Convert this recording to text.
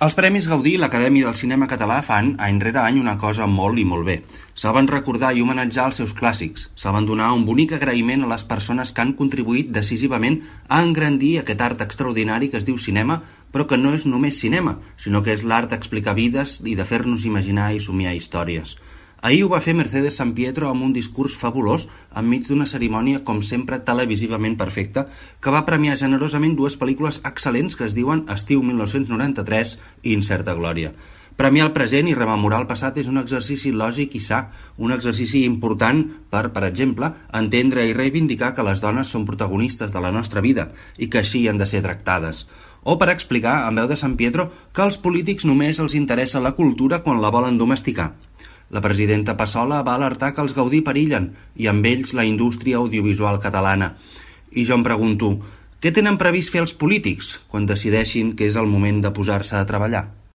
Els Premis Gaudí i l'Acadèmia del Cinema Català fan, any rere any, una cosa molt i molt bé. Saben recordar i homenatjar els seus clàssics. Saben donar un bonic agraïment a les persones que han contribuït decisivament a engrandir aquest art extraordinari que es diu cinema, però que no és només cinema, sinó que és l'art d'explicar vides i de fer-nos imaginar i somiar històries. Ahir ho va fer Mercedes Sampietro amb un discurs fabulós enmig d'una cerimònia, com sempre, televisivament perfecta, que va premiar generosament dues pel·lícules excel·lents que es diuen Estiu 1993 i Incerta Glòria. Premiar el present i rememorar el passat és un exercici lògic i sa, un exercici important per exemple, entendre i reivindicar que les dones són protagonistes de la nostra vida i que així han de ser tractades. O per explicar, en veu de Sampietro, que als polítics només els interessa la cultura quan la volen domesticar. La presidenta Passola va alertar que els Gaudí perillen i amb ells la indústria audiovisual catalana. I jo em pregunto, què tenen previst fer els polítics quan decideixin que és el moment de posar-se a treballar?